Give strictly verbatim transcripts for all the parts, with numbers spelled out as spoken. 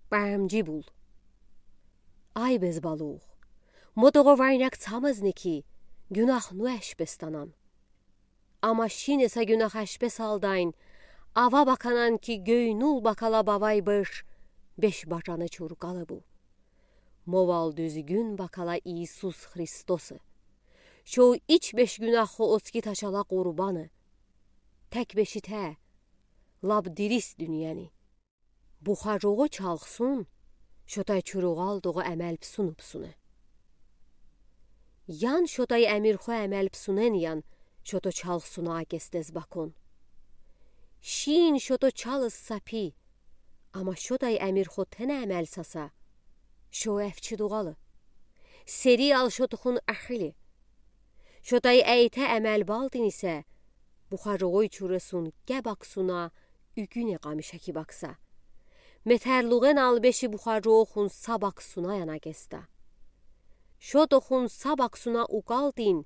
Бамжи бул. Ай бес балух, мо тоҕо варинак цамыз ни ки, гюнах ну эшпестан. Ама шин еса гюнах эшпес алдайн, ава баканан ки, гёй нул бакала бавай быш, беш бажаны чургалы бу. Мо вал дуьзгюн бакала Иисус Христосы. Шо ич беш гюнахы оцки ташала къурбаны. Тэк бешите, лап дирис дуьньяны. Бухарогу чалхсун, шотай чуругъал тогъу эмел псуну псуну. Ян шотай эмирхо эмел псунэн ян, шото чалхсуна акестез бакун. Шин шото чалыс сапи, ама шотай эмирхо тэнэ эмел саса, шо эфчи дугъалы. Сери ал шотохун ахили. Шотай эйте эмел балтин исе, бухарогой чуресун ке баксуна, уьгюне къамиша ки бакса. Метерлугъен ал беши бухарогохун са баксуна яна кеста. Шотохун са баксуна укалтин,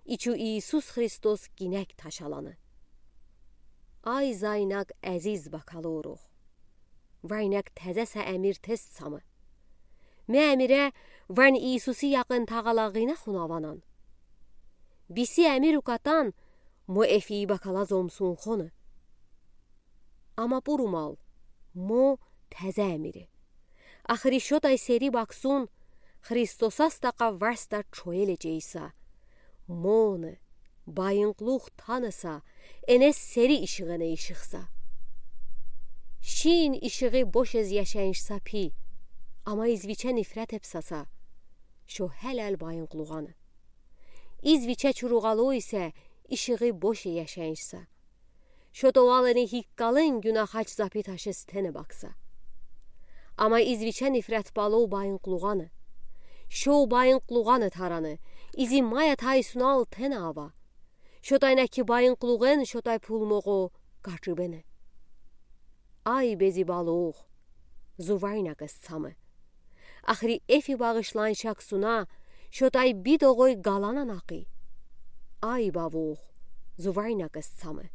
ичу Иисус Христос гинек ташаланы. Ай зайнак эзиз бакалурух. Вайнак тезеса эмир тез самы. Ме эмире вань Иисуси якъын тагъалагъына хунаванан. Биси эмир укатан мо эфи бакала зомсун хоны. Ама пурумал, мо тезе эмири. Ахри шотай сери баксун, Христосас такъа варста чоеле чейса. Моны, байынклух таныса, энес сери ишигъене ишихса. Шин ишигъи бошез яшеншса пи, ама извиче нифрет эпсаса. Шо хелел байынклугъаны. Извиче чуругъалу исе ишигъи боше яшеншса. Шо товалыни хиккалын гюнахач запи ташез тэнэ бакса. Ама извиче нифрет балу байынклугъаны. Шо байынклугъаны тараны, изи мая тайсунал тэнэ ава. Шотай наки байынклугъен шотай пулмогъо качыбене. Ай бези балух, зувайнакъ эс цамы. Ахри эфи багъышланшакъ суна, шотай бидогъой галананахи. Ай бавух, зувайнакъ эс цамы.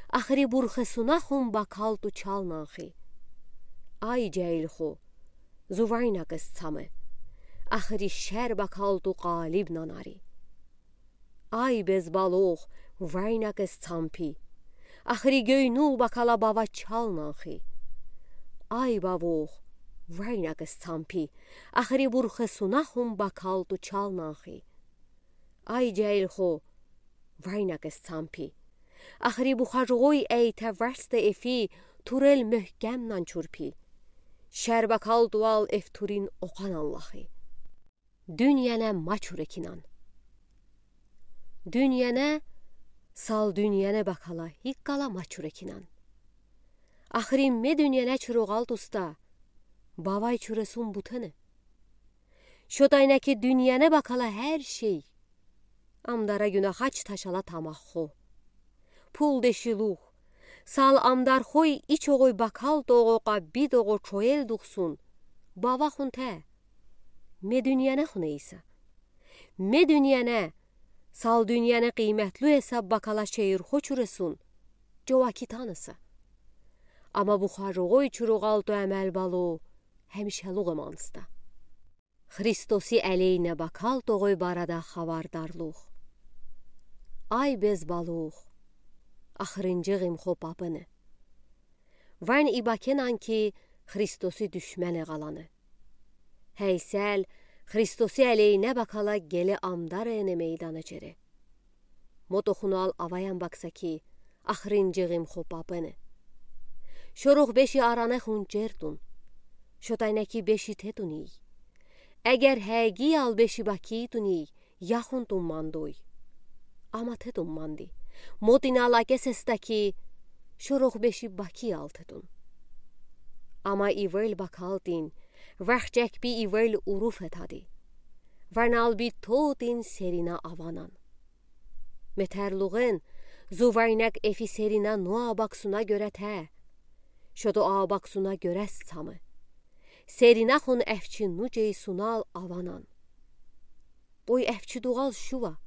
Ахри бурхесуна хум бакалту чалнанхи. Ай джаилху, зувайнакъ эс цамы. Ахри шер бакалту къалибнанари. Ай бес балух, вайнакъ эс цампи. Ахри гёйнул бакала бава чалнанхи. Ай бавух, вайнакъ эс цампи. Ахри бурхесуна хум бакалту чалнанхи. Ай джаилху, вайнакъ эс цампи. Ахри бухаргъуй эйте варста эфи турел мёхкемнан чурпи. Шер бакалту ал эф турин окъананлахи. Дуьньяне ма чурекинан. Дуьньяне, сал дуьньяне бакала хиккала ма чурекинан. Ахри ме дуьньяне чуругъал туста, бавай чуресун бутене. Шотай наки дуьньяне бакала хер шей. Амдара гюнахач ташала тамахху. Пул дешилух, сал амдархуй ичогъуй бакал тогъокъа бидогъо чоел духсун, бавахун те. Ме дуьньяне хуне иса. Ме дуьньяне, сал дуьньяне къыйметлу эса бакала шейирхо чуресун, джова китан эса. Ама бухаргъуй чуругъал то эмел балу, хемишелугъ эманста. Христоси элейне бакал тогъуй барада хавардарлух. Ай бес балух, ахырынджы гъимхо папыны. Вань и бакенан ки Христоси душмени гъаланы. Хейсел, Христоси элейне бакала геле амдар эне мейдана чере. Мо тохунал аваян бакса ки, ахырынджы гъимхо папыны. Шорух беши аране хунчертун. Шотай наки беши тетуний. Эгер хеги ал беши бакитуний, яхун тумандуй. Ама тетуманди. Мотинал акесеста ки, шорух беши баки ал тетун. Ама ивел бакалтин, вахчекпи ивел уруф этади. Ванал би тотин серина аванан. Метерлугъен, зувайнакъ эфи серина нуа баксуна гёре те. Шото а баксуна гёрес цамы. Серина хун эфчи нуджей сунал аванан. Къуй эфчи дугъал шува.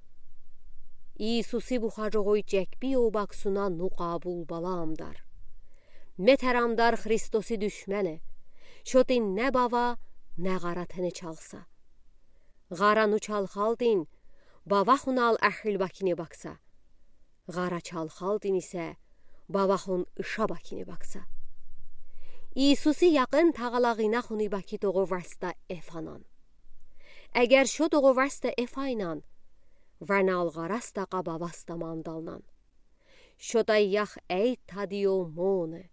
Иисуси бухаргъуй чекпи о баксуна ну къабул бала амдар. Метер амдар Христоси душмени. Шотӥн не бава, не ğара тенечалса. Ğара ну чалхалтӥн, бавахунал эхил бакине бакса. Ğара чалхалтӥн исе, бавахун иша бакине бакса. Иисуси яқын тағалағинахуни баки тоҕо варста эф анан. Эгер шо тоҕо варста эф айнан, ванал ğарас такъа бавас тамандалнан. Шотай ях эй тадио моне.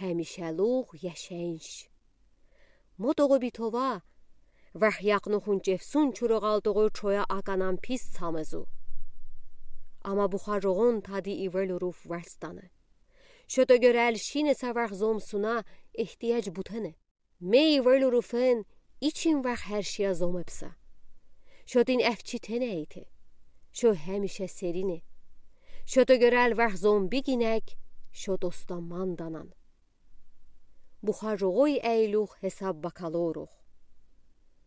Гемишелух яшенш. Мо тоҕо битова, вахъякну хунчефсун чурагал тоҕо чоя аканан пис самезу. Ама бухаругун тади ивелуруф варстане. Шото гёрел шинеса вах зомсуна ихтияч бутене. Ме ивелуруфен ичин вах хершия зомепса. Шотин эфчи тенейте. Шо гемише серине. Шото гёрел вах зомбигинек, шот оста манданан. Бухаругуй эйлюх хесаб бакалорух.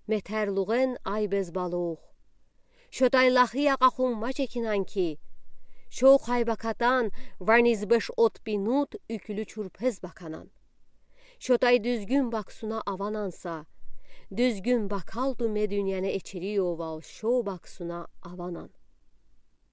Метерлуген айбез балух. Шотай лахи яқахун мачекинан ки, шо хайбакатан ванизбеш от пинут ӱкюлю чурпез баканан. Шотай дуьзгюн баксуна авананса, дуьзгюн бакалту ме дуьньяне эчериовал шо баксуна аванан.